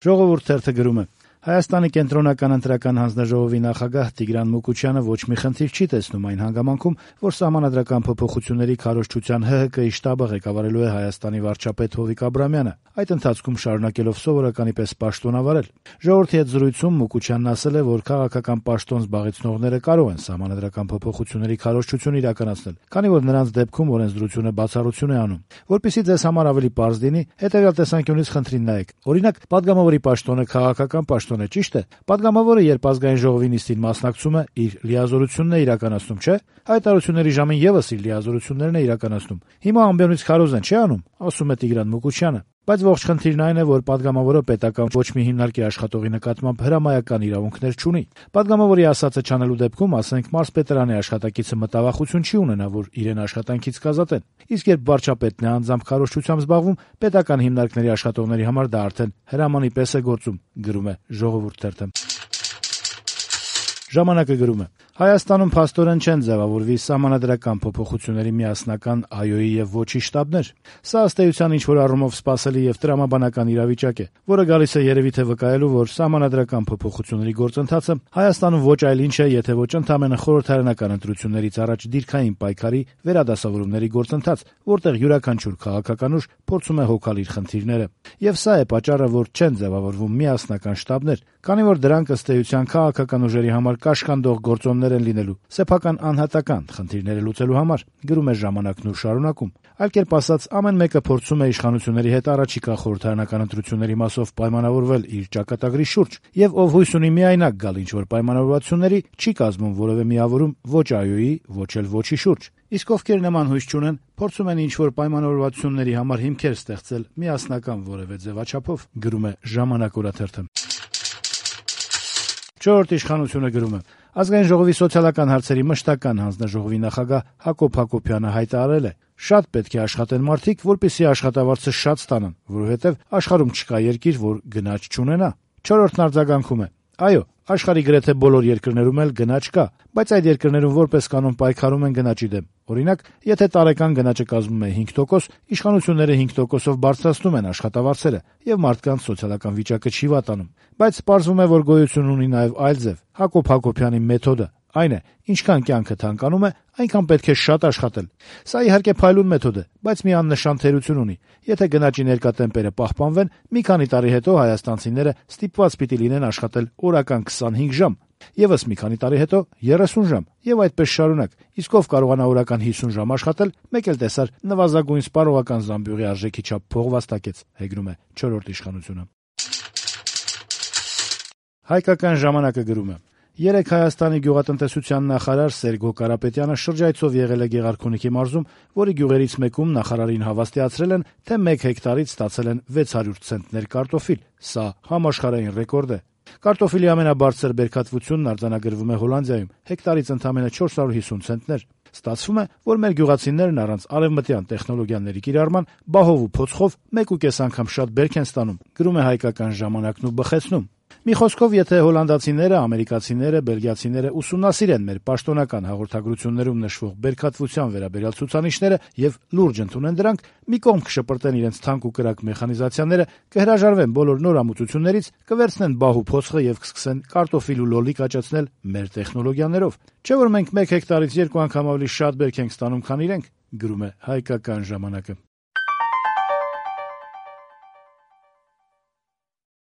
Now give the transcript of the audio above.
Ժողովուրդ թերթը գրում է. Հայաստանի կենտրոնական ընտրական հանձնաժողովի նախագահ Տիգրան Մուկուչյանը ոչ մի խնդիր չի տեսնում այն հանգամանքում, որ սահմանադրական փոփոխությունների քարոզչության ՀՀԿ-ի շտաբը ղեկավարելու է Հայաստանի վարչապետ Հովիկ Աբրամյանը, այդ ընթացքում շարունակելով սովորականի պես պաշտոնավարել։ Ժողովրդի հետ զրույցում Մուկուչյանն ասել է, որ քաղաքական պաշտոն զբաղեցնողները կարող են սահմանադրական փոփոխությունների քարոզչություն իրականացնել, քանի որ նրանց դեպքում օրենսդրությունը բացառություն է անում։ Որպեսզի ձեզ համար ավելի պարզ լինի, հետևյալ տեսանկյունից խնդրին նայեք։ Օրինակ, падգամավորի պաշտոնը քաղաքական պաշտոն է, ճիշտ է։ Падգամավորը, երբ ազգային ժողովի նիստին մասնակցում է, իր լիազորությունն է իրականացնում, չէ՞։ Հայտարարությունների ժամին եւս իր լիազորություններն է իրականացնում։ Հիմա ամբիոնից քարոզ են, չի անում, ասում է Տիգրան Մուկուչյանը։ Բայց ողջ խնդիրն այն է, որ падգամավորը պետական ոչ մի հիմնարկի աշխատողի նկատմամբ հրամայական իրավունքներ չունի։ Падգամավորի ասածը չանելու դեպքում, ասենք, մարզպետարանի աշխատակիցը մտավախություն չի ունենա, որ իրեն աշխատանքից կազատեն։ Իսկ երբ վարչապետն է անձամբ քարոզչությամբ զբաղվում, պետական հիմնարկների աշխատողների համար դա արդեն հրամանի պես է գործում, գրում է Ժողովուրդ թերթը։ Ժամանակը գրում է. Հայաստանում փաստորեն չեն ձևավորվի սահմանադրական փոփոխությունների միասնական ԱՅՈ-ի եւ ոչի շտաբներ։ Սա ըստ էության ինչ-որ առումով սպասելի եւ տրամաբանական իրավիճակ է, որը գալիս է երևի թե վկայելու, որ սահմանադրական փոփոխությունների գործընթացը Հայաստանում ոչ այլ ինչ է, եթե ոչ ընդամենը խորհրդարանական ընտրություններից առաջ դիրքային պայքարի վերադասավորումների գործընթաց, որտեղ յուրաքանչյուր քաղաքական ուժ փորձում է հոգալ իր խնդիրները։ Եվ սա է պատճառը, որ չեն ձևավորվում միասնական շտաբներ, քանի որ դրանք ըստ էության քաղաքական ուժերի համար կաշկանդող գործոններ են լինելու սեփական անհատական խնդիրները լուծելու համար, գրում է Ժամանակն ու շարունակում։ Այլ կերպ ասած, ամեն մեկը փորձում է իշխանությունների հետ առաջիկա խորհրդարանական ընտրությունների մասով պայմանավորվել իր ճակատագրի շուրջ, եւ ով հույս ունի միայնակ գալ ինչ-որ պայմանավորվածությունների, չի կազմում որևէ միավորում ոչ ԱՅՈ-ի, ոչ էլ ոչի շուրջ։ Իսկ ովքեր նման հույս չունեն, փորձում են ինչ-որ պայմանավորվածությունների համար հիմքեր ստեղծել միասնական որևէ ձևաչափով, գրում է Ժամանակ օրաթերթը։ Չորրորդ իշխանությունը գրում է. Ազգային ժողովի սոցիալական հարցերի մշտական հանձնաժողովի նախագահ Հակոբ Հակոբյանը հայտարարել է. շատ պետք է աշխատեն մարդիկ, որպեսզի աշխատավարձը շատ ստանան, որովհետև աշխարհում չկա երկիր, որ գնաճ չունենա։ Չորրորդն արձագանքում է. այո, աշխարհի գրեթե բոլոր երկրներում էլ գնաճ կա, բայց այդ երկրներում որպես կանոն պայքարում են գնաճի դեմ։ Օրինակ, եթե տարեկան գնաճը կազմում է 5%, իշխանությունները 5%-ով բարձրացնում են աշխատավարձերը, եւ մարդկանց սոցիալական վիճակը չի վատանում։ Բայց պարզվում է, որ գոյություն ունի նաեւ այլ ձև։ Հակոբ Հակոբյանի մեթոդը այն է, ինչքան կյանքը թանկանում է, այնքան պետք է շատ աշխատել։ Սա իհարկե փայլուն մեթոդ է, բայց մի աննշան թերություն ունի։ Եթե գնաճի ներկա տեմպերը պահպանվեն, մի քանի տարի հետո հայաստանցիները ստիպված պիտի լինեն աշխատել օրական 25 ժամ, եւս մի քանի տարի հետո 30 ժամ, եւ այդպես շարունակ։ Իսկ ով կարողանա օրական 50 ժամ աշխատել, մեկ էլ տեսար նվազագույն սպառողական զամբյուղի արժեքի չափ փող վաստակեց, հեգնում է չորրորդ իշխանությունը։ Հայկական ժամանակը գրում է. Երեկ Հայաստանի գյուղատնտեսության նախարար Սերգո Կարապետյանը շրջայցով եղել է Գեղարքունիքի մարզում, որի գյուղերից մեկում նախարարին հավաստիացրել են, թե 1 հեկտարից ստացել են 600 ցենտներ կարտոֆիլ։ Սա համաշխարհային ռեկորդ է։ Կարտոֆիլի ամենաբարձր բերքատվությունն արձանագրվում է Հոլանդիայում, հեկտարից ընդամենը 450 ցենտներ։ Ստացվում է, որ մեր գյուղացիներն առանց արևմտյան տեխնոլոգիաների կիրառման բահով ու փոცხով 1.5 անգամ շատ բերք են ստանում, գրում է Հայկական ժամանակն ու բխեցնում։ Մի խոսքով, եթե հոլանդացիները, ամերիկացիները, բելգիացիները ուսումնասիրեն մեր պաշտոնական հաղորդագրություններում նշվող բերքատվության վերաբերյալ ցուցանիշները եւ լուրջ ընդունեն դրանք, մի կողմ կշպրտեն իրենց թանկ ու կրակ մեխանիզացիաները, կհրաժարվեն բոլոր նոր ամուծություններից, կվերցնեն բահ ու փոცხը եւ կսկսեն կարտոֆիլ ու լոլիկ աճեցնել մեր տեխնոլոգիաներով։ Չէ՞ որ մենք 1 հեկտարից 2 անգամ ավելի շատ բերք ենք ստանում, քան իրենք, գրում է Հայկական ժամանակը։